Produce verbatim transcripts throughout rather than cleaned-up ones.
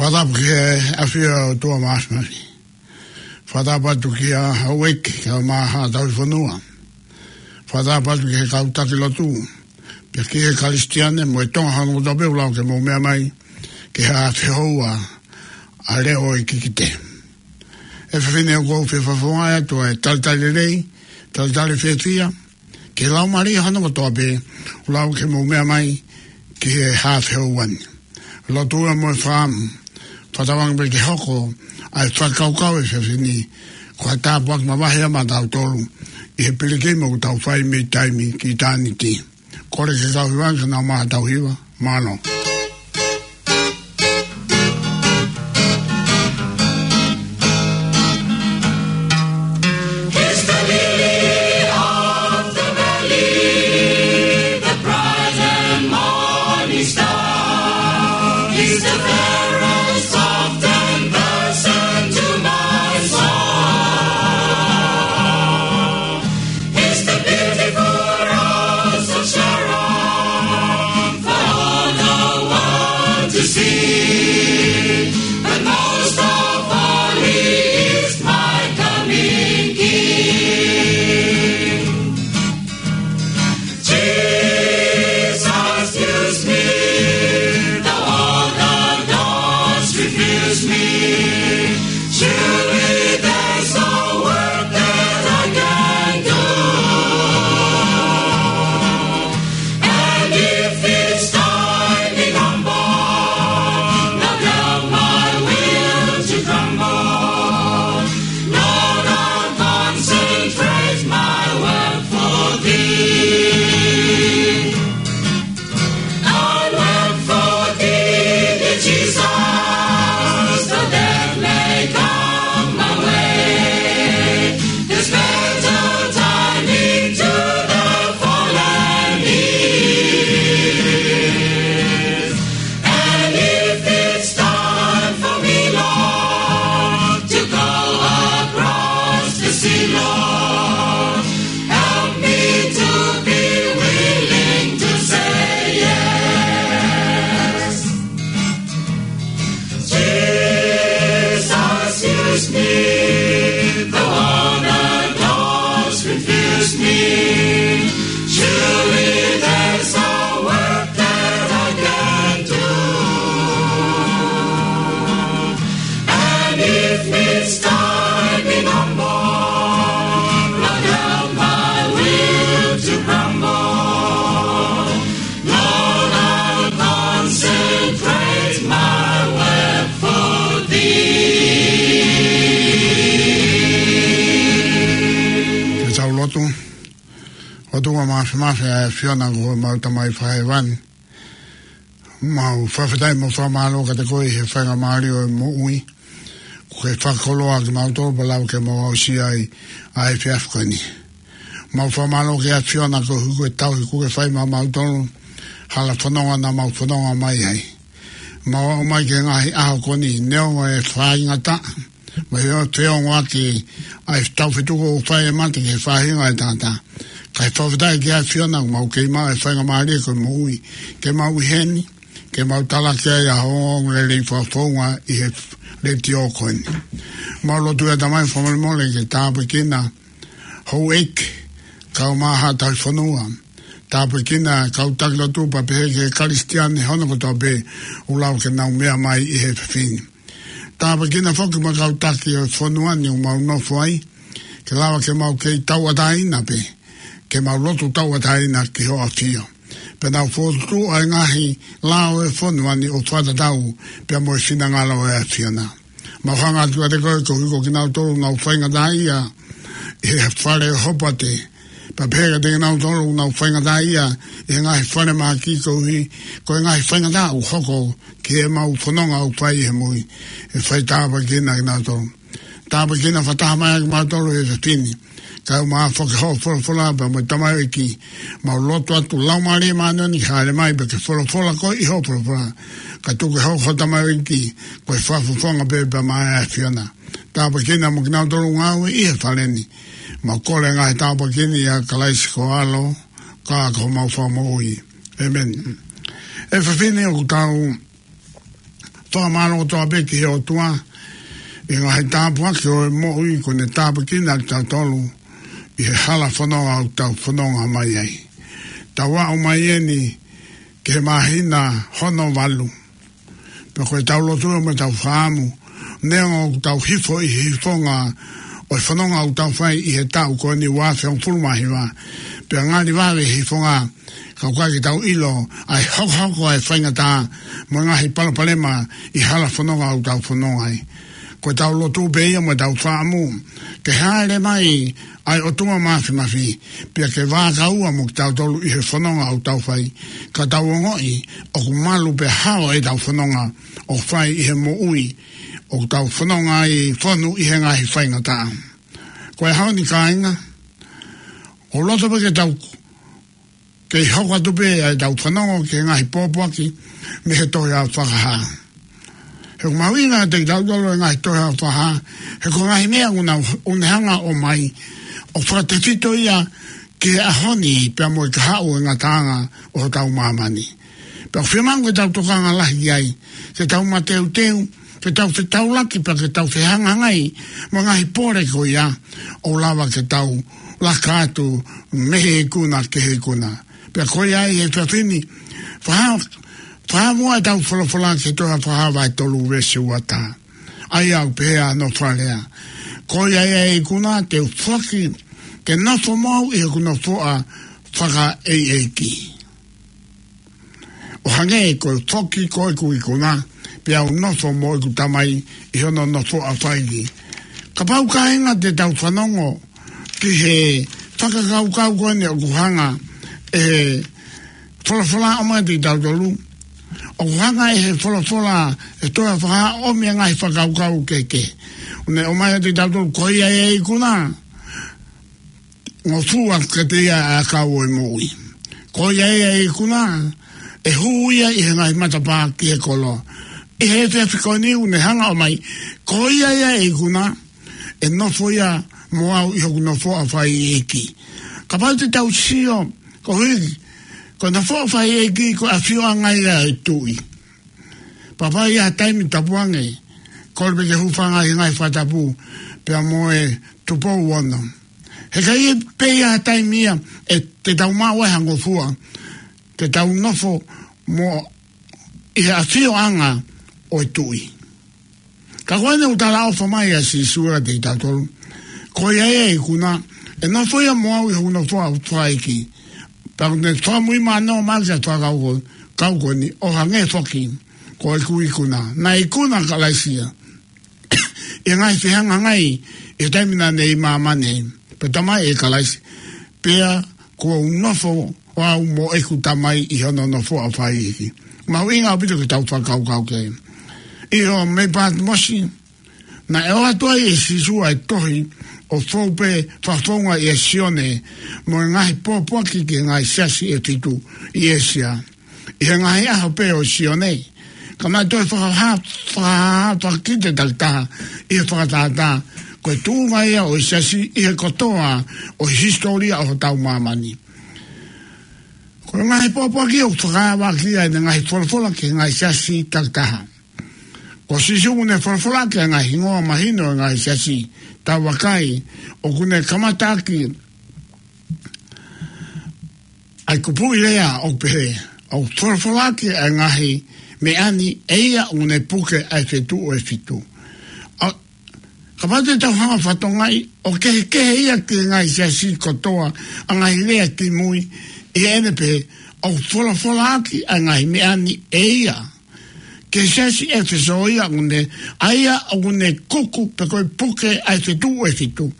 Fakatapu ki he ʻafio ʻa e ʻOtua Māfimafi. Fakatapu atu kia Houʻeiki kae ʻumaʻā Haʻa Tauhi Fonua. Fakatapu atu ki he kau taki lotu, pea ki he Kalisitiane mo e Tonga hono kotoa pē ʻoku lau ke mou meʻa mai ki he haafe houa ʻa e leʻo ʻo e kikite. ʻE fefine, ʻoku ou fie fakafofongaʻi atu ʻa e talitali lelei, talitali fiefia ki he laumālie hono kotoa pē ʻoku lau ke mou meʻa mai ki he haafe houa ni. Lotu ia mo e fakaʻamu, fakatauange pē ke hoko ʻa e fakakaukau ʻa e fefine ko ha tāpuaki mavahe ia maʻatautolu ʻi he pilikimi ʻoku tau fai mei taimi ki ʻitāniti. Kole ki he kau hiva ke nau maʻu haʻatau hiva. Mālō. He's the lily of the valley, the bright and morning star. He's the fairest of ten thousand to my soul. He's the beautiful rose of Sharon for all the world to see. But most of all, he is my coming King. Jesus, use me, though all the doors refuse me. Surely there's a work that I can do. And if it's time in humble, not of my will to grumble, Lord, I'll concentrate my work for thee. I'll work for thee, dear Jesus, though death may come my way. There's better timing to the fallen is. And if it's time for me, Lord, to go across the sea, Lord, help me to be willing to say yes. Jesus, use me, though all the doors refuse me. Surely there's a work that I can do. And if it's time in humble, not of my will to grumble, Lord, I'll concentrate my work for thee. Ke tau lotu. ʻOtua Māfimafi, ʻa e ʻAfiona ko homau Tamai Fakahēvani, mau fakafetaʻi mo fakamālō kiate koe ʻi he faingamālie ʻo e moʻui kuo ke fakakoloa kimautolu pea lau ke mau aʻusia ai ʻa e efiafi ko eni. Mau fakamālō ki he ʻAfiona koeʻuhi ko e tauhi kuo ke fai maʻamautolu, hala fononga naʻa mau fononga mai ai. Mau aʻu mai ki he ngaahi ʻaho ko eni, neongo e faingataʻa mo e feongoʻaki ʻa e tau fetuku ʻoku fai ʻe he mate ki he faʻahinga ʻo e tangata, ka ʻoku fakafetaʻi ki he ʻAfiona ʻoku mau kei maʻu e faingamālie ko e moʻui ke mau ʻi heni, ke mau talaki ai ʻa hoʻo ongoongolelei fakafofonga ʻi he letiō ko eni. Mau lotu ʻe Tamai fakamolemole ke tāpuekina Houʻeiki kae ʻumaʻā Haʻa Tauhi Fonua. Tāpuekina kau taki lotu pea pehē ki he Kalisitiane hono kotoa pē ʻoku lau ke nau meʻa mai ʻi he efiafi ni. Tāpuekina foki mo e kau taki ʻo e fonua ni ʻoku mau nofo ai, ke lava ke mau kei tauʻatāina pē, ke mau lotu tauʻatāina ki hoʻo ʻAfio. Pea nau fokotuʻu ʻa e ngaahi lao ʻo e fonua ni ʻo fakatatau pea mo e finangalo ʻo e ʻAfiona. Mau hanga atu kiate koe koeʻuhi ko kinautolu ʻoku nau faingataʻaʻia ʻi he fale ʻo e hopate. Pea pehē kiate kinautolu ʻoku nau faingataʻaʻia ʻi he ngaahi falemahaki koeʻuhi ko e ngaahi faingataʻa ʻoku hoko ki heʻemau fononga ʻoku fai ʻi he moʻui. ʻE fai tāpuekina kinautolu. Tāpuekina fakataha mai ʻa kimautolu he efiafi ni. Kae ʻumaʻā foki hoʻo folofola pea mo e tamaioʻeiki. Mau lotu atu Laumālie Māʻoniʻoni ke hāʻele mai pea ke folofola koe ʻi hoʻo folofola. Kae tuku ke hoko ho tamaioʻeiki ko e fakafofonga pē pea maʻa e ʻAfiona. tāpuekina mo kinautolu ngāue ʻi he fale ni. Mau kole ngaahi tāpuekina ʻia Kalaisi ko ho ʻAlo, ka ko homau Fakamoʻui. ʻĒmeni. ʻE fefine, ʻoku tau fakamālō kotoa pē ki he ʻOtua ʻi he ngaahi tāpuaki ʻo e moʻui kuo ne tāpuekina kitautolu ʻi he hala fononga ʻoku tau fononga mai ai. Tau aʻu mai eni ki he māhina hono valu. Pea ko ʻetau lotu mo ʻetau fakaʻamu, neongo ʻoku tau hifo ʻi he hifonga ʻo e fononga ʻoku tau fai ʻi he taʻu ko eni ua afe hongofulu mā hiva, pea ngali vave hifonga, ka ʻoku ʻikai ke tau ʻilo ʻa e hokohoko ʻa e faingataʻa mo e ngaahi palopalema ʻi he hala fononga ʻoku tau fononga ai. Ko ʻetau lotu pē ia mo ʻetau fakaʻamu ke hāʻele mai ʻa e ʻOtua Māfimafi, pea ke vākaua mo kitautolu ʻi he fononga ʻoku tau fai, ka tau ongoʻi ʻoku malu pē hao ʻetau fononga ʻoku fai ʻi he moʻui ʻoku tau fononga ai, fonu ʻi he ngaahi faingataʻa. Ko e ʻaho ni, kāinga, ʻoku loto pē ke tau kei hoko atu pē ʻa ʻetau fanongo ki he ngaahi pōpoaki mei he Tohi ʻa Fakahā. He ʻoku mahuʻinga kiate kitautolu e ngaahi Tohi ʻa Fakahā, he ko e ngaahi meʻa ʻoku ne hanga ʻo ʻomai, ʻoku fakatefito ia ki he ʻaho ni pea mo e kahaʻu e ngataʻanga ʻo hotau māmani. Pea ʻoku fiemaʻu ke tau tokanga lahi ai, ke tau mateuteu, ke tau fetaulaki pea ke tau fehangahangai mo e ngaahi pole ko ia ʻoku lava ke tau laka atu mei he ikuna ki he ikuna. Pea ko ia ai he efiafi ni, faha-, fakamuʻa ʻetau folofola ki he Tohi ʻa Fakahā vahe tolu veesi ua taha. ʻA ia ʻoku pehē hono fakalea: Ko ia ia ʻe ikuna, te u foki ke nofo mo au ʻi hoku nofoʻa fakaʻeiʻeiki, ʻo hangē ko e foki ko ʻeku ikuna, pea u nofo mo ʻeku Tamai ʻi hono nofoʻa fakaʻeiʻeiki. Kapau, kāinga, te tau fanongo ki he fakakaukau ko eni ʻoku hanga ʻe he folofola ʻo ʻomai kiate kitautolu, ʻoku hanga ʻe he folofola ʻa e Tohi ʻa Fakahā ʻo ʻomi e ngaahi fakakaukau kehekehe. ʻOku ne ʻomai kiate kitautolu, ko ia ia ʻe ikuna, ngofua kiate ia ʻa e ʻakau ʻo e moʻui. Ko ia ia ʻe ikuna, ʻe hū ia ʻi he ngaahi matapā ki he koloa. ʻI he efiafi ko eni ʻoku ne hanga ʻo ʻomai, ko ia ia ʻe ikuna, ʻe nofo ia mo au ʻi hoku nofoʻa fakaʻeiʻeiki. Kapau te tau sio, ko hiki, ko e nofoʻa fakaʻeiʻeiki ko e ʻafioʻanga ia ʻo e tuʻi. Pea ʻi ha taimi, tapu ange, kole pē ke hūfanga ʻi he ngaahi fakatapu pea mo e Tupou Ono. He ʻikai pē ʻi ha taimi ia ʻe te tau maʻu ai ha ngofua, te tau nofo mo ʻi he ʻafioʻanga ʻo e tuʻi. Ka ko eni ʻoku talaʻofa mai ʻa Sīsū kiate kitautolu, ko ia ia ʻe ikuna, ʻe nofo ia mo au ʻi hoku nofoʻa fakaʻeiʻeiki. Pea ʻoku ne fakamuimui mai ʻo ʻomai ʻa e fakakaukau ko eni, ʻo hangē foki ko ʻeku ikuna. Naʻe ikuna ʻa Kalaisi ia ʻi he ngaahi fehangahangai ʻi he taimi naʻa ne ʻi māmani, pea talamai ʻe Kalaisi, pea kuo u nofo au mo ʻeku Tamai ʻi hono nofoʻa fakaʻeiʻeiki. Mahuʻinga ʻaupito ke tau fakakaukau ki ai. ʻI he ʻaho mei Pātimosi, naʻe ʻoatu ai ʻe Sīsū ʻa e tohi ʻo fou pē fakafounga ʻia Sione mo e ngaahi pōpoaki ki he ngaahi siasi ʻe fitu ʻi ʻĒsia. ʻI he ngaahi ʻaho pē ʻo Sione, ka naʻe toe fakahā, fakahā, fakakite takitaha ʻi he fakatātā ko e tuʻunga ia ʻo e siasi ʻi he kotoa ʻo e hisitōlia ʻo hotau māmani. Ko e ngaahi pōpoaki ʻoku fakaava ki ai ʻene ngaahi folofola ki he ngaahi siasi takitaha. Ko Sīsū ʻoku ne folofola ki he ngaahi hingoa mahino ʻo e ngaahi siasi. Tau vakai, ʻoku ne kamataʻaki ʻa e kupuʻi lea ʻo pehē, ʻoku folofola ki ai ʻa e ngaahi meʻa ni, ʻe ia ʻoku ne puke ʻa e fetuʻu ʻe fitu. ʻA, kapau te tau hanga ʻo fakatokangaʻi, ʻoku kehekehe ia ki he ngaahi siasi kotoa ʻa e ngaahi lea kimui, ʻi heʻene pehē, ʻoku folofola ki ai ʻa e ngaahi meʻa ni ʻe ia ki he siasi ʻEfesō ia ʻoku ne, ʻa ia ʻoku ne kuku pe ko e puke ʻa e fetuʻu ʻe fitu.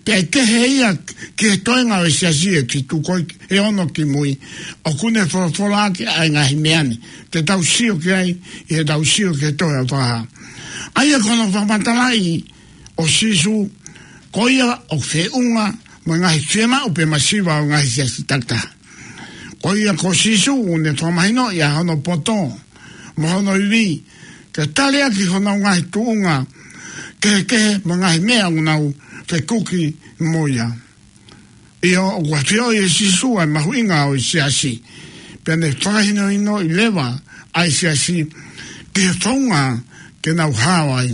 Pea ʻe kehe ia ki he toenga ʻo e siasi ʻe fitu ko ē ʻe ono kimui, ʻoku ne folofola ki ai ʻa e ngaahi meʻa ni. Te tau sio ki ai ʻi heʻetau sio ki he Tohi ʻa Fakahā. ʻA ia ko hono fakamatalaʻi ʻo Sīsū, ko ia ʻoku feʻunga mo e ngaahi fiemaʻu pe masiva ʻo e ngaahi siasi takitaha. Ko ia ko Sīsū ʻoku ne fakamahinoʻi ʻa hono poto mo hono ivi, ke tali ʻaki honau ngaahi tuʻunga kehekehe mo e ngaahi meʻa ʻoku nau fekuki mo ia. ʻIo, ʻoku ʻafioʻi ʻe Sīsū ʻa e mahuʻinga ʻo e siasi, pea ne fakahinohinoʻi leva ʻa e siasi ki he founga ke nau hao ai.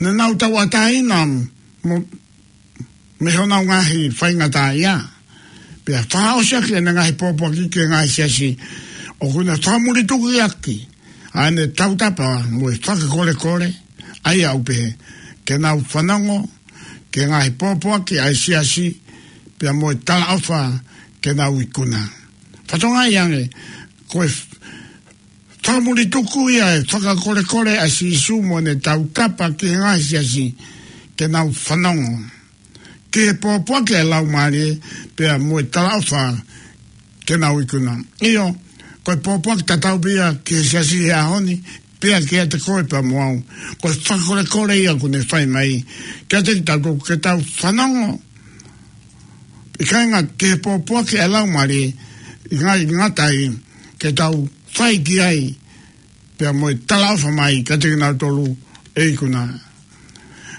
Ne nau tauʻatāina mo mei honau ngaahi faingataʻaʻia. Pea fakaʻosi ʻaki ʻene ngaahi pōpoaki ki he ngaahi siasi, ʻoku ne fakamulitukuʻi ʻaki ʻa ʻene tautapa mo e fakakolekole, ʻa ia ʻoku pehē, ke nau fanongo ki he ngaahi pōpoaki ʻa e siasi, pea mo e talaʻofa ke nau ikuna. Fatongia ange, ko e fakamulituku ia e fakakolekole ʻa Sīsū mo ʻene tautapa ki he ngaahi siasi ke nau fanongo ki he pōpoaki ʻa e Laumālie, pea mo e talaʻofa ke nau ikuna. ʻIo, ko e pōpoaki tatau pē ia ki he siasi he ʻaho ni, pea kiate koe pea mo au. Ko e fakakolekole ia ʻoku ne fai mai kiate kitautolu ke tau fanongo, ʻikai ngata ki he pōpoaki ʻa e Laumālie, ʻikai ngata ai, ke tau fai ki ai, pea mo e talaʻofa mai kiate kinautolu ʻe ikuna.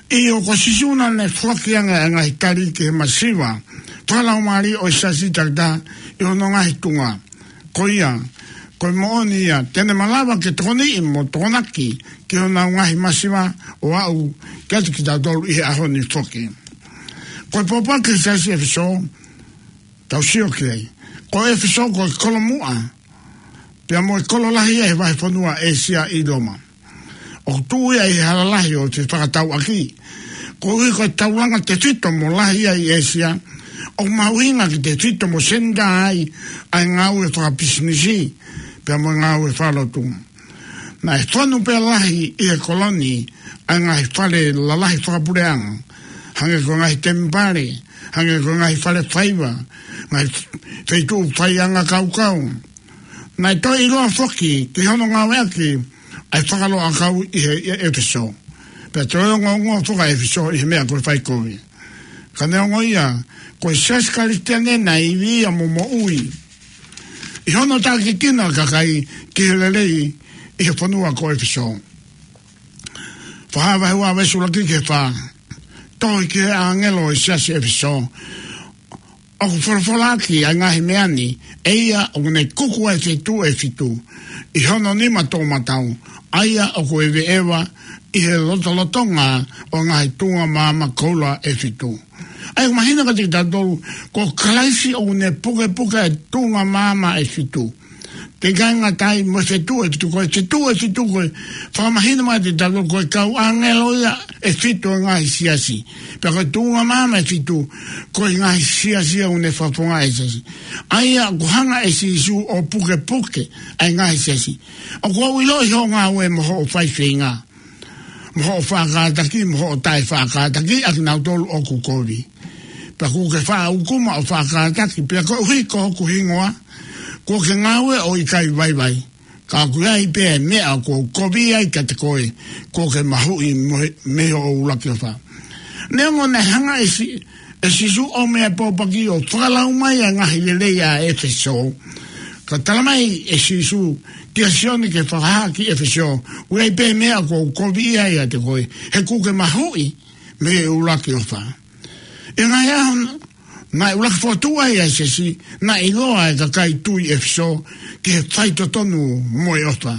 ʻIo, ko Sīsū naʻa ne foaki ange ʻa e ngaahi tali ki he masiva fakalaumālie ʻo e siasi takitaha ʻi hono ngaahi tuʻunga. Ko ia, ko e moʻoni ia, te ne malava ke tokoniʻi mo tokonaki ki honau ngaahi masiva ʻo aʻu kiate kitautolu ʻi he ʻaho ni foki. Ko e pōpoaki ki he siasi ʻEfesō, tau sio ki ai. Ko ʻEfesō ko e kolomuʻa, pea mo e kolo lahi ia he vahefonua ʻĒsia ʻi Loma. ʻOku tuʻu ia ʻi he hala lahi ʻo e fefakatauʻaki. Koeʻuhi ko e taulanga tefito mo lahi ia ʻi ʻĒsia, ʻoku mahuʻinga ke tefito mo senitā ai ʻa e ngāue fakapisinisi, pea mo e ngāue fakalotu. Naʻe fonu pē lahi ʻi he kolo ni ʻa e ngaahi fale lalahi fakapuleʻanga, hangē ko e ngaahi temipale, hangē ko e ngaahi fale faiva, ngaahi feituʻu faiʻanga kaukau. Naʻe toe ʻiloa foki ki hono ngāueʻaki ʻa e fakaloʻakau ʻi he, ʻi ʻEfesō. Pea toe ongoongoa foki ʻa ʻEfesō ʻi he meʻa ko e fai kovi. Ka neongo ia, ko e siasi Kalisitiane naʻe ivi ia mo moʻui ʻi hono tākiekina ʻa e kakai ki he lelei ʻi he fonua ko ʻEfesō. Fakahā vahe ua veesi ʻuluaki ki he fā. Tohi ki he ʻāngelo ʻo e siasi ʻEfesō. ʻOku folofola ʻaki ʻa e ngaahi meʻa ni ʻe ia ʻoku ne kuku ʻa e feituʻu ʻe fitu ʻi hono nima toʻomataʻu, ʻa ia ʻoku ʻeveʻeva ʻi he lotolotonga ʻo e ngaahi tuʻunga maama koula ʻe fitu. ʻA ia ʻoku mahino kiate kitautolu, ko Kalaisi ʻoku ne pukepuke ʻa e tuʻunga maama ʻe fitu. Pea ʻikai ngata ai, mo e feituʻu ʻe fitu, ko e feituʻu ʻe fitu ko e fakamahino mai kiate kitautolu ko e kau ʻāngelo ia ʻe fitu ʻo e ngaahi siasi. Pea ko e tuʻunga maama ʻe fitu, ko e ngaahi siasi ia ʻoku ne fakafofongaʻi ʻa e siasi. ʻA ia ʻoku hanga ʻe Sīsū ʻo pukepuke ʻa e ngaahi siasi. ʻOku ou ʻiloʻi hoʻo ngāue mo hoʻo faifeinga, mo hoʻo faʻa kātaki, mo hoʻo taʻe faʻa kātaki ʻa kinautolu ʻoku kovi. Pea kuo ke faʻa ʻukuma ʻo faʻa kātaki, pea koeʻuhi ko hoku hingoa, kuo ke ngāue ʻo ʻikai vaivai. Ka ʻoku ʻi ai pē ʻa e meʻa ʻoku ou kovi ai kiate koe, kuo ke mahuʻi mo e, mei hoʻo ʻuluaki ʻofa. Neongo naʻe hanga ʻe Sī-, ʻe Sīsū ʻo ʻomai ʻa e pōpoaki ʻo fakalau mai ʻa e ngaahi lelei ʻa ʻEfesō, ka talamai ʻe Sīsū kia Sione ke fakahā ki ʻEfesō, ʻoku ʻi ai pē meʻa ʻoku ou kovi ai ʻiate koe, he kuo ke mahuʻi mei he ʻuluaki ʻofa. ʻI he ngaahi ʻaho naʻe ʻuluaki fokotuʻu ai ʻa e siasi, naʻe ʻiloa ʻe he kakai tui ʻEfesō ki he faitotonu mo e ʻofa.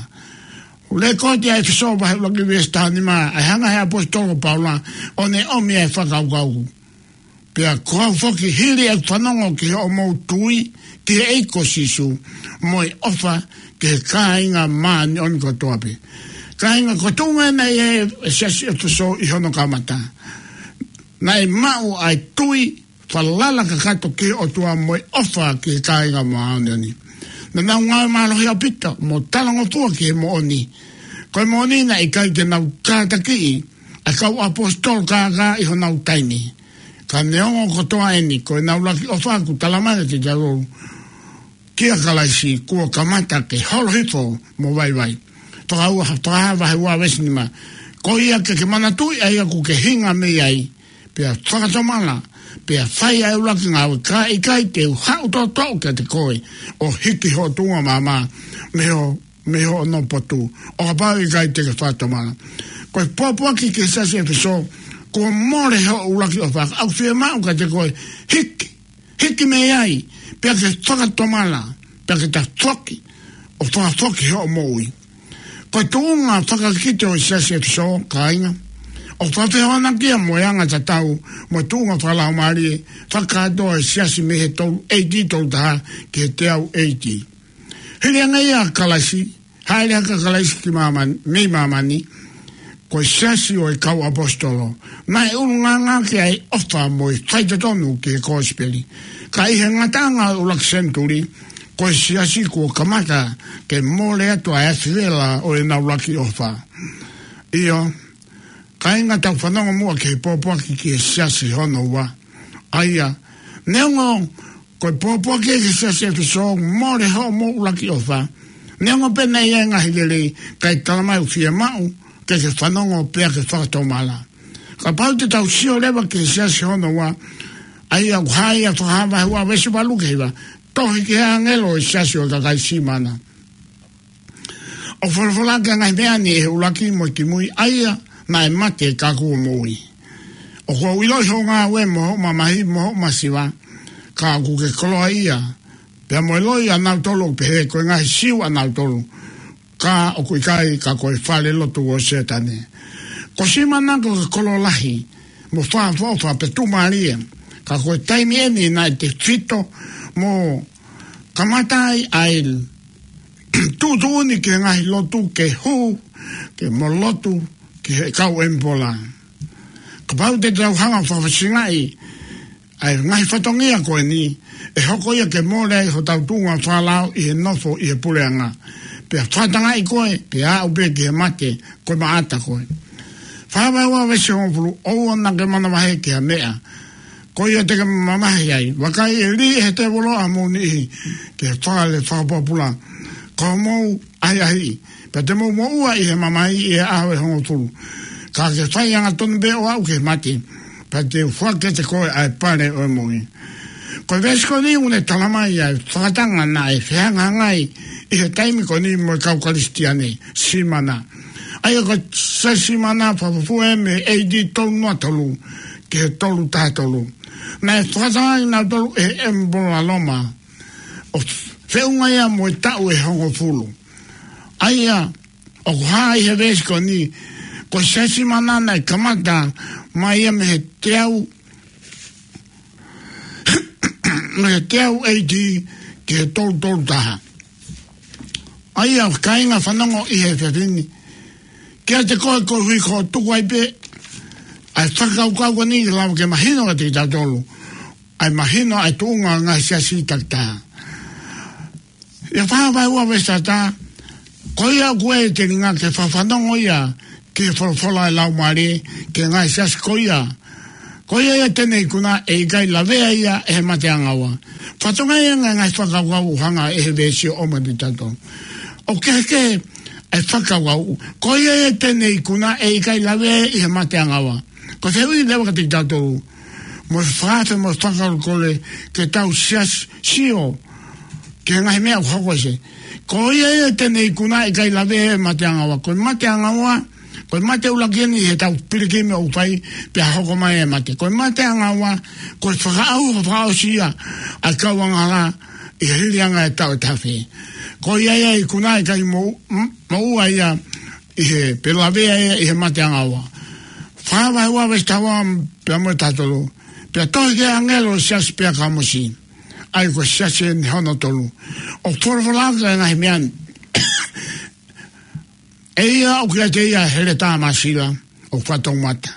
ʻOku lekooti ʻa ʻEfesō vahe ʻuluaki veesi taha nima, ʻa e hanga ʻe he ʻaposetolo ko Paula ʻo ne ʻomi ʻa e fakakaukau. Pea ko au foki, hili ʻeku fanongo ki hoʻomou tui ki he ʻEiki ko Sīsū, mo e ʻofa ki he kāinga māʻoniʻoni kotoa pē. Kāinga, ko e tuʻunga ena ʻa e siasi ʻEfesō ʻi hono kamata. Naʻe maʻu ʻa e tui falala kakato ki he ʻOtua mo e ʻofa ki he kāinga māʻoniʻoni. Naʻa nau ngāue mālohi ʻaupito mo talangofua ki he moʻoni. Ko e moʻoni naʻe ʻikai ke nau kātakiʻi ʻa e kau ʻaposetolo kākā ʻi honau taimi. Ka neongo kotoa eni, ko ʻenau ʻuluaki ʻofa ʻoku talamai kiate kitautolu kia Kalaisi kuo kamata ke holo hifo mo vaivai. Fakahā, Fakahā vahe ua veesi nima. Ko ia ke ke manatuʻi ʻa ia ʻoku ke hinga mei ai, pea fakatomala, pea fai ʻa e ʻuluaki ngāue, kae ʻikai te u haʻu toʻotoʻo kiate koe ʻo hiki hoʻo tuʻunga maama mei ho, mei hoʻo potu, ʻo kapau ʻe ʻikai te ke fakatomala. Ko e pōpoaki ki he siasi ʻEfesō, kuo mole hoʻo ʻuluaki ʻofa. ʻOku fiemaʻu kiate koe, hiki, hiki mei ai, pea ke fakatomala, pea ke tafoki, ʻo fakafoki hoʻo moʻui. Ko e tuʻunga fakakikite ʻo e siasi ʻEfesō, kāinga, ʻoku fakafehoanaki ia mo e anga tatau, mo e tuʻunga fakalaumālie, fakakātoa e siasi mei he tolu, A D tolu taha, ki he teau A D. Hili ange ia ʻa Kalaisi, hāʻele hake ʻa Kalaisi ki māmani, mei māmani, ko e siasi ʻo e kau ʻaposetolo. Naʻe ʻulungaanga ki ai ʻofa mo e faitotonu ki he kosipeli. Ka ʻi he ngataʻanga ʻo e ʻuluaki senituli, ko e siasi kuo kamata ke mole atu ʻa e afi vela ʻo ʻenau ʻuluaki ʻofa. ʻIo, kāinga, tau fanongo muʻa ki he pōpoaki ki he siasi hono ua. ʻA ia, neongo ko e pōpoaki ki he siasi ʻEfesō, mole hoʻomou ʻuluaki ʻofa. Neongo pē naʻe ʻi ai e ngaahi lelei, kae talamai ʻoku fiemaʻu ke ke fanongo pea ke fakatomala. Kapau te tau sio leva ki he siasi hono ua, ʻa ia ʻoku hā ia ʻi he Fakahā vahe ua veesi valu ki he hiva, tohi ki he ʻāngelo ʻo e siasi ʻo e kakai Simana. ʻOku folofola ʻaki ʻa e ngaahi meʻa ni ʻi he ʻuluaki mo e kimui, ʻa ia naʻe mate ka kuo moʻui. ʻOku ou ʻiloʻi hoʻo ngāue mo hoʻo mamahi mo hoʻo masiva, ka ʻoku ke koloaʻia, pea mo e loi ʻanautolu ʻoku pehē ko e ngaahi Siu ʻanautolu, ka ʻoku ʻikai, ka ko e fale lotu ʻo Sētane. Ko Simana ko e kolo lahi, mo fakaʻofoʻofa pea tuʻumālie, ka ko e taimi eni naʻe tefito mo kamata ai ʻa e tuʻutuʻuni ki he ngaahi lotu ke hū, ke mo lotu ki he kau ʻemipola. Kapau te tau hanga ʻo fakafasingaʻi ʻa e ngaahi fatongia ko eni, ʻe hoko ia ke mole ai hotau tuʻunga fakalao ʻi he nofo ʻi he puleʻanga. Pea fakatangaʻi koe, pea aʻu pē ki he mate, ko e maʻata koe. Fakahā vahe ua veesi hongofulu, ʻoua naʻa ke manavahē ki ha meʻa. Ko ia te ke mamahi ai, vakai ʻe lī ʻe he tēvolo ʻa homou niʻihi ki he fale fakapōpula. Ko hoʻomou ʻahiʻahiʻi, pea te mou moʻua ʻi he mamahi ʻi he ʻaho ʻe hongofulu. Ka ke fai angatonu pē ʻo aʻu ki he mate, pea te u foaki kiate koe ʻa e pale ʻo e moʻui. Ko e veesi ko eni ʻoku ne talamai ʻa e fakatanga naʻe fehangahangai ʻi he taimi ko eni mo e kau Kalisitiane, Simana. ʻA ia ko e siasi Simana, fakafufū ia mei he A D tolu noa tolu ki he tolu taha tolu. Naʻe fakatangaʻi kinautolu ʻe he ʻemipola Loma, ʻo feʻunga ia mo e taʻu ʻe hongofulu. ʻA ia, ʻoku hā ʻi he veesi ko eni, ko e siasi Simana naʻe kamata mai ia mei he teau, mei he teau A D ki he tolu tolu taha. ʻA ia, kāinga, fanongo ʻi he efiafi ni. Kiate koe, koeʻuhi ko hoʻo tuku ai pē ʻa e fakakaukau ko eni ke lava ke mahino kiate kitautolu ʻa e mahino ʻa e tuʻunga ʻo e ngaahi siasi takitaha. ʻI he Fakahā vahe ua veesi taha taha, ko ia ʻoku ʻi ai e telinga ke fakafanongo ia ki he folofola ʻa e Laumālie ki he ngaahi siasi ko ia. Ko ia ia te ne ikuna, ʻe ʻikai lavea ia ʻe he mate ʻanga ua. Fakatokangaʻi ange e ngaahi fakakaukau ʻoku hanga ʻe he veesi ʻo ʻomai kiate kitautolu. ʻOku kehekehe ʻa e fakakaukau. Ko ia ia te ne ikuna, ʻe ʻikai lavea ʻe he mate ʻanga ua. Ko e fehuʻi leva kiate kitautolu, mo e fakaafe mo e fakakolekole ke tau siasi, sio ki he ngaahi meʻa ʻoku hoko ʻi he. Ko ia ia te ne ikuna, ʻe ʻikai lavea ʻe he mate ʻanga ua. Ko e mate ʻanga ua, ko e mate ʻuluaki eni ʻi heʻetau pilikimi ʻoku fai pea hoko mai e mate. Ko e mate ʻanga ua, ko e fakaʻauha fakaʻosi ia ʻa e kau angahala ʻi he hili ange ʻa e taʻu ʻe taha afe. Ko ia ia ikuna, ʻe ʻikai mo, m-, moʻua ia ʻi he, pe lavea ia ʻi he mate ʻanga ua. Fakahā vahe ua veesi taha ua pea mo e taha tolu. Pea tohi ki he ʻāngelo ʻo e siasi Peakamosi, ʻa ia ko e siasi eni hono tolu, ʻoku folofola ʻaki ʻa e ngaahi meʻa ni. ʻE ia ʻoku ʻiate ia ʻa e heletā māsila ʻoku fakatoumata.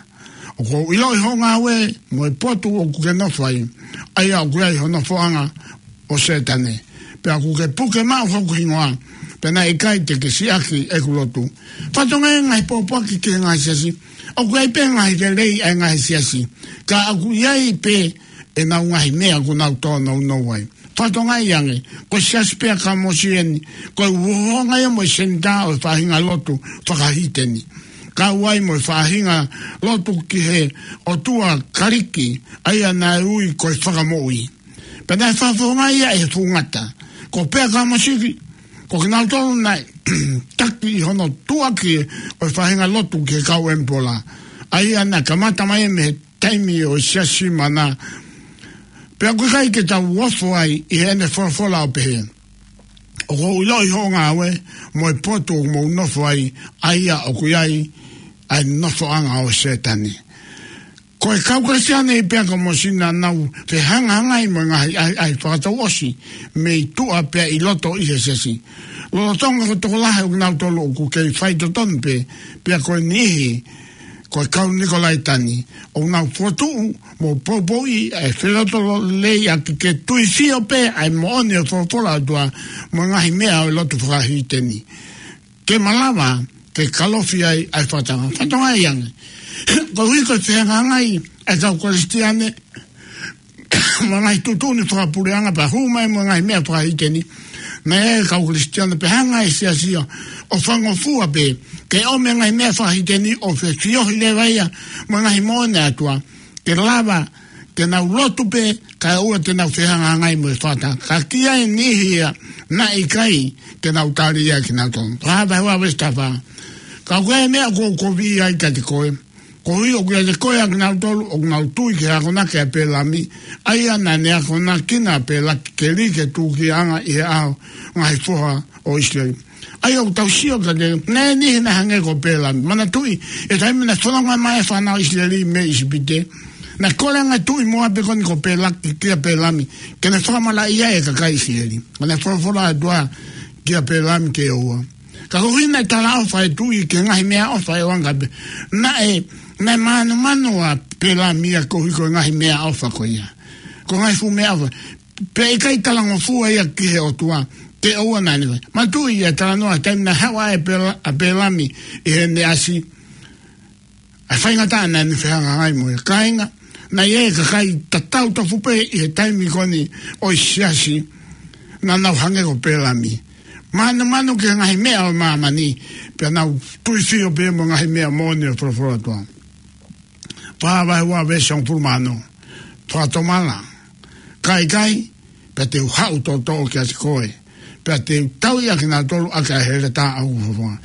ʻOku ou ʻiloʻi hoʻo ngāue mo e potu ʻoku ke nofo ai, ʻa ia ʻoku ʻi ai ho nofoʻanga ʻo Sētane. Pea ʻoku ke puke maʻu hoku hingoa, pea naʻe ʻikai te ke siʻaki ʻeku lotu. Fakatokangaʻi e ngaahi pōpoaki ki he ngaahi siasi. ʻOku ʻi ai pē ngaahi lelei ʻa e ngaahi siasi, ka ʻoku ʻi ai pē ʻenau ngaahi meʻa ʻoku nau tōnounou ai. Fakatokangaʻi ange, ko e siasi Peakamosi eni, ko e uhoangaʻi ia mo e senitā ʻo e faʻahinga lotu fakahīteni. Kau ai mo e faʻahinga lotu ki he ʻotua Kalisi, ʻa ia naʻe ui ko e Fakamoʻui. Pea naʻe fakafofongaʻi ia ʻe he Fuʻu Ngata. Ko Peakamosi, Ko kinautolu naʻe taki ʻi hono tuʻuaki ʻo e faʻahinga lotu ki he kau ʻemipola. ʻA ia naʻe kamata mai mei he taimi ʻo e Siasi Maʻana. Pea ʻoku ʻikai ke tau ofo ai ʻi heʻene folofola ʻo pehē, ʻoku ou ʻiloʻi hoʻo ngāue mo e potu ʻoku mou nofo ai, ʻa ia ʻoku ʻi ai ʻa e nofoʻanga ʻo Sētane. Ko e kau Kalisitiane pē ʻa Kamosi naʻa nau fehangahangai mo e ngaahi ʻahiʻahi fakatouʻosi mei tuʻa pea ʻi loto ʻi he Siasi. Lolotonga ko e tokolahi ʻo kinautolu ʻoku kei faitotonu pē, pea ko e niʻihi, ko e kau Nikolaitani, ʻoku nau fokotuʻu mo poupouʻi ʻa e felotolo lei ʻaki ke tui sio pē ʻa e moʻoni ʻo e folofola ʻa e ʻOtua mo e ngaahi meʻa ʻo e lotu fakahīteni, ke malava ke kalofi ai ʻa e fakatanga. Fakatanga ai ange. Koeʻuhi ko e fehangahangai ʻa e kau Kalisitiane mo e ngaahi tuʻutuʻuni fakapuleʻanga pea hū mai mo e ngaahi meʻa fakahīteni, naʻe ʻi ai e kau Kalisitiane pea hanga ʻe he Siasi ia ʻo fangofua pē ke ʻomi e ngaahi meʻa fakahīteni ʻo fefiohi leva ia mo e ngaahi moʻoni ʻa e ʻOtua, ke lava ke nau lotu pē kae ʻoua te nau fehangahangai mo e fakatanga. Ka ki ai e niʻihi ia naʻe ʻikai ke nau tali ia kinautolu. Fakahā vahe ua veesi taha fā. Ka ko e meʻa ʻoku ou kovi ai kiate koe, koeʻuhi ʻoku ʻiate koe ʻa kinautolu ʻoku nau tui ki he akonaki ʻa Pēlami, ʻa ia naʻa ne akonakina ʻa Pēlakeli ke tūkiaʻanga ʻi he ʻao ngaahi foha ʻo ʻIsileli. ʻA ia ʻoku tau sio kiate ia, naʻe ʻi ai e niʻihi naʻe hangē ko Pēlami. Manatuʻi, ʻi he taimi naʻe fononga mai ai e fānau ʻIsileli mei ʻIsipite, naʻe kole ange e tuʻi Moape ko eni ko Pēlaki kia Pēlami ke ne fakamalaʻia e kakai ʻIsileli. Ko e folofola ʻa e ʻOtua kia Pēlami ke ʻoua. Ka koeʻuhi naʻe talaʻofa e tuʻi ki he ngaahi meʻaʻofa ʻe ʻoange pē, naʻe, naʻe mānumanu ʻa Pēlami ia koeʻuhi ko e ngaahi meʻaʻofa ko ia. Ko e ngaahi fuʻu meʻaʻofa. Pea ʻikai talangofua ia ki he ʻOtua, ke ʻoua naʻa ne fai. Manatuʻi ʻa e talanoa he taimi naʻe haʻu ai ʻa Pēla-, ʻa Pēlami ʻi heʻene ʻasi, ʻa e faingataʻa naʻa ne fehangahangai mo ia. Kāinga, naʻe ʻi ai e kakai tatau tofu pē ʻi he taimi ko eni ʻo e Siasi, naʻa nau hangē ko Pēlami. Mānumanu ki he ngaahi meʻa ʻo māmani, pea nau tui sio pē mo e ngaahi meʻa moʻoni ʻo e folofola ʻa e ʻOtua. Fakahā vahe ua veesi hongofulu mā ono. Fakatomala, ka ʻikai, pea te u haʻu toʻotoʻo kiate koe, pea te u tauʻi ʻa kinautolu ʻaki ʻa e heletā ʻoku ou fofonga.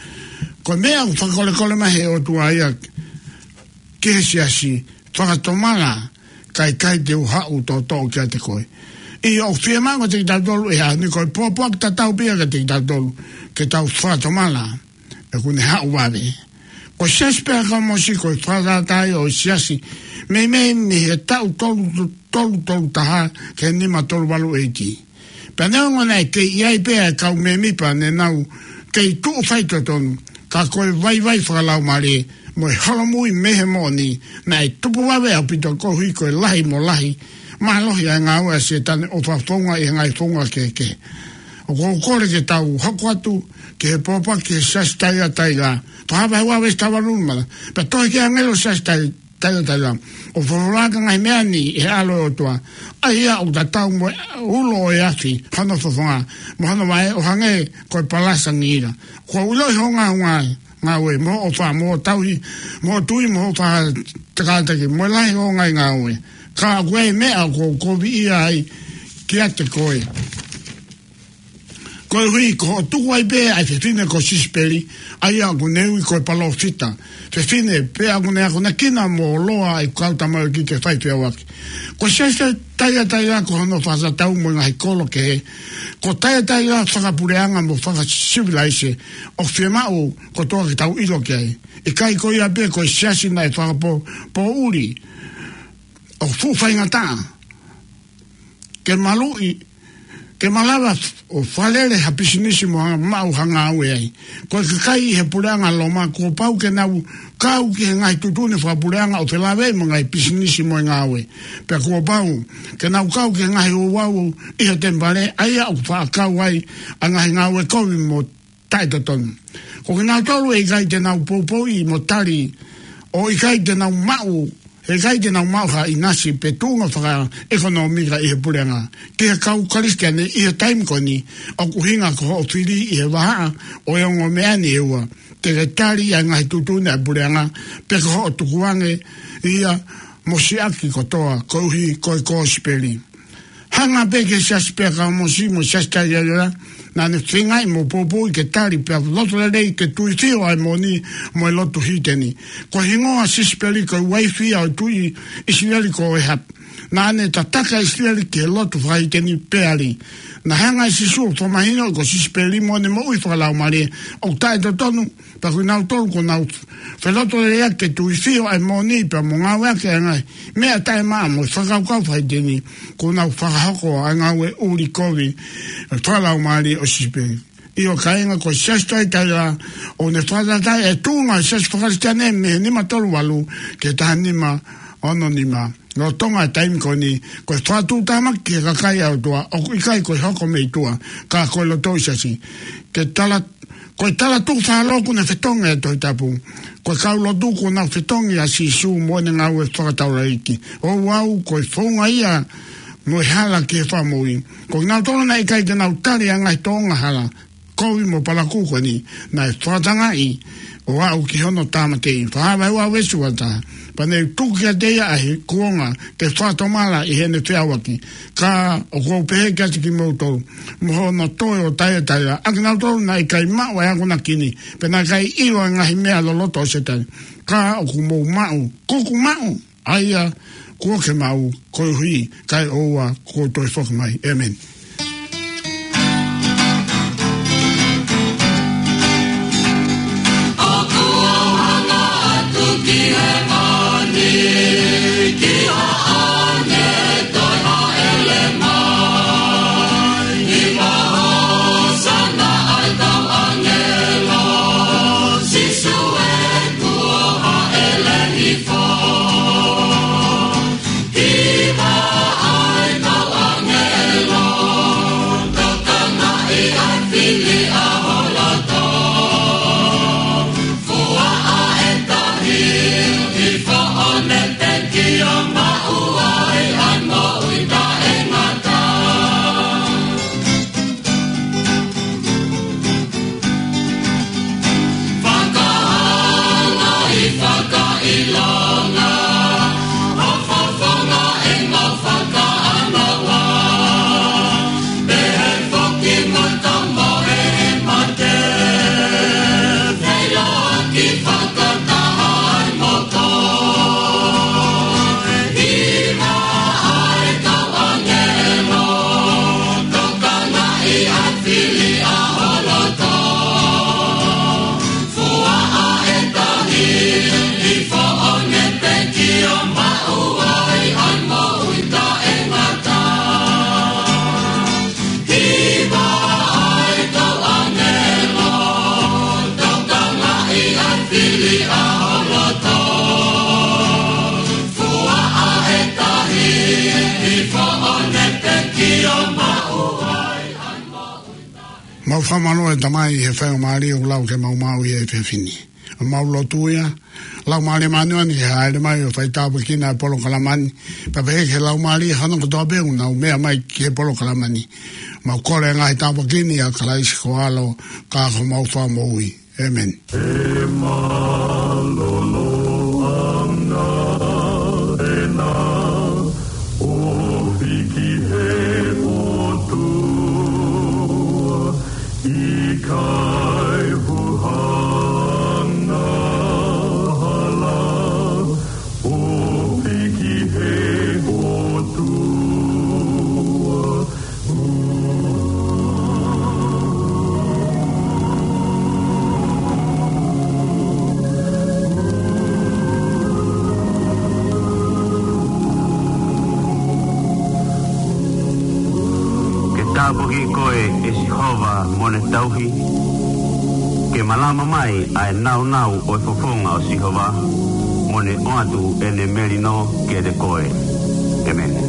Ko e meʻa ʻoku fakakolekole mai ʻe he ʻOtua ia ki he Siasi, fakatomala, ka ʻikai te u haʻu toʻotoʻo kiate koe. ʻIo, ʻoku fiemaʻu kiate kitautolu he ʻaho ni, ko e pōpoaki tatau pē ia kiate kitautolu, ke tau fakatomala, he ʻoku ne haʻu vave. Ko e Siasi pē ʻa Kamosi ko e fakatātā ia ʻo e Siasi, meimei mei he taʻu tolu, tolu tolu taha ki he nima tolu valu ʻeiti. Pea neongo naʻe kei ʻi ai pē ʻa e kau mēmipa ne nau kei tuʻu faitotonu, ka ko e vaivai fakalaumālie mo e holomui mei he moʻoni, naʻe tupu vave ʻaupito koeʻuhi ko e lahi mo lahi mālohi ʻa e ngāue ʻa Sētane ʻo fakafounga ʻi he ngaahi founga kehekehe. ʻOku ou kole ke tau hoko atu ki he pōpoaki ki he Siasi Taiataila. Fakahā vahe ua veesi taha valu nima. Pea tohi ki he ʻāngelo ʻo e Siasi Tai-, Taiataila, ʻoku folofola ki he ngaahi meʻa ni ʻe he ʻAlo ʻo e ʻOtua, ʻa ia ʻoku tatau mo e ulo ʻo e afi, hono fofonga mo hono vaʻe ʻo hangē ko e palasa ngiila. ʻOku ou ʻiloʻi hoʻo ngaahi ngāue, mo hoʻo ʻofa, mo hoʻo tauhi, mo hoʻo tui, mo hoʻo faʻa kātaki, mo e lahi hoʻo ngaahi ngāue. Ka ko e meʻa ʻoku ou koviʻia ai kiate koe, koeʻuhi ko hoʻo tuku ai pē ʻa e fefine ko Sisipeli, ʻa ia ʻoku ne ui ko e palōfita. Fefine pē ʻoku ne akonakina mo loa ʻa e kau tamaioʻeiki ke fai feʻauaki. Ko e Siasi Taiataila ko hono fakatatau mo e ngaahi kolo kehe, ko Taiataila fakapuleʻanga mo fakasivilaise, ʻoku fiemaʻu kotoa ke tau ʻilo ki ai. ʻIkai ko ia pē ko e siasi naʻe fakapō-, pōʻuli, ʻoku fuʻu faingataʻa ke maluʻi, ke malava ʻo fakalele ha pisinisi mo ha maʻu ha ngāue ai. Ko e kakai ʻi he puleʻanga Loma, kuo pau ke nau kau ki he ngaahi tuʻutuʻuni fakapuleʻanga ʻo felāveʻi mo e ngaahi pisinisi mo e ngāue. Pea kuo pau ke nau kau ki he ngaahi ouau ʻi he temipale, ʻa ia ʻoku faʻa kau ai ʻa e ngaahi ngāue kovi mo taʻetotonu. Ko kinautolu ʻe ʻikai te nau poupouʻi mo tali, ʻo ʻikai te nau maʻu, ʻe ʻikai te nau maʻu ha ʻinasi pe tuʻunga fakaʻekonōmika ʻi he puleʻanga. Ki he kau Kalisitiane ʻi he taimi ko eni, ʻoku ʻuhinga ko hoʻo fili ʻi he vahaʻa ʻo e ongo meʻa ni ʻe ua, te ke tali ʻa e ngaahi tuʻutuʻuni ʻa e puleʻanga, pe ko hoʻo tukuange ia mo siʻaki kotoa, koeʻuhi ko e kosipeli. Hanga pē ki he Siasi pē ʻa Kamosi mo e Siasi Taiataila, Naʻá ne feingaʻi mo poupouʻi ke tali pea loto lelei ke tuifio ʻa e moʻoni mo e lotu hiteni. Ko e hingoa ʻo Sisipeli ko e uaifi ia ʻo e tuʻi ʻIsileli ko ʻĒhapi. Naʻá ne tataki ʻa ʻIsileli ki he lotu fakahiteni peali. Naʻe hanga ʻe Sīsū ʻo fakamahinoʻi ko Sisipeli mo ʻene moʻui fakalaumālie ʻoku taʻetotonu, pea ko kinautolu kuo nau felotolahiʻaki ke tuifio ʻa e moʻoni pea mo ngāueʻaki ʻa e ngaahi meʻa taʻemaʻa mo e fakakaukau fakahiteni, kuo nau fakahoko ʻa e ngāue ʻuli kovi fakalaumālie ʻo Sisipeli. ʻIo kāinga, ko e Siasi Taitaila ʻoku ne fakatātā e tuʻunga ʻo e Siasi Fakakalisitiane mei he nima tolu valu ki he taha nima ono nima. Lolotonga e taimi ko eni, ko e fakatuʻutāmaki ki he kakai ʻa e ʻOtua ʻoku ʻikai ko e hoko mei tuʻa, ka ko e loto ʻo e Siasi. Ke tala, ko e talatukufakaholo ʻoku ne fetongi e Tohi Tapu. Ko e kau lotu kuo nau fetongi ʻa Sīsū mo ʻene ngāue fakataulaʻeiki. ʻOku ou ʻilo ko e founga ia mo e hala ki he fakamoʻui. Ko kinautolu naʻe ʻikai ke nau tali ʻa e ngaahi tōʻonga hala kovi mo palakū ko eni, naʻe fakatangaʻi ʻo aʻu ki hono tāmateʻi. Fakahā vahe ua veesi ua taha: Pea ne u tuku kiate ia ʻa e kuonga ke fakatomala ʻi heʻene feʻauaki. Ka ʻoku ou pehē kiate kimoutolu, mo hono toe ʻo Taitaila, ʻa kinautolu naʻe ʻikai maʻu ʻa e akonaki ni, pea naʻe ʻikai ʻilo ʻa e ngaahi meʻa loloto ʻo Sētane. Ka ʻoku mou maʻu, kuo u maʻu, ʻa ia kuo ke maʻu, koeʻuhi kae ʻoua kuo toe foki mai. ʻĒmeni. ʻOku ou hanga atu ki he mani, ki hoʻo ʻāngelo toe hāʻele mai. ʻI he hōsana ʻa e kau ʻāngelo, Sīsū ē, kuo hāʻele hifo. Hiva ʻa e kau ʻāngelo, tokangaʻi ʻa e fili ʻa ho loto. Fua ʻa e tahi, hifo ʻo ne pekia, maʻu ai ʻa e moʻui taʻengata. Fakaʻaongaʻi, fakaʻilonga, ʻo fofonga ʻemau fakaʻānaua. Pehē foki mo e kau mohe mate, feʻiloaki fakataha ai mo koe. Hiva ʻa e kau ʻāngelo, tokangaʻi ʻa e fili ʻa ho loto. Fua ʻa e tahi, hifo ʻo ne pekia, maʻu ai ʻa e moʻui taʻengata. Hiva ʻa e kau ʻāngelo, tokangaʻi ʻa e fili ʻa ho loto. Fua ʻa e tahi, hifo ʻo ne pekia, maʻu ai ʻa e moʻui taʻengata. Mau fakamālō ʻe Tamai he faingamālie ʻoku lau ke mau maʻu ʻi he efiafi ni. Mau lotu ia, Laumālie Māʻoniʻoni ke hāʻele mai ʻo fai tāpuekina e polokalama ni. Pea pehē ki he laumālie hono kotoa pē ʻoku nau meʻa mai ki he polokalama ni. Mau kole e ngaahi tāpuaki ni ʻia Kalaisi ko ho ʻAlo, ka ko homau Fakamoʻui. ʻĒmeni. He mālōlō ʻanga ʻena ʻofi ki he ʻOtua, ʻikai huhanga hala, ʻofi ki he ʻOtua. Ke tāpuakiʻi koe ʻe Sihova mo ʻene tauhi, ke malama mai ʻa e nāunau ʻo e fofonga ʻo Sihova, mo ne ʻoatu ʻene melino kiate koe. ʻĒmeni.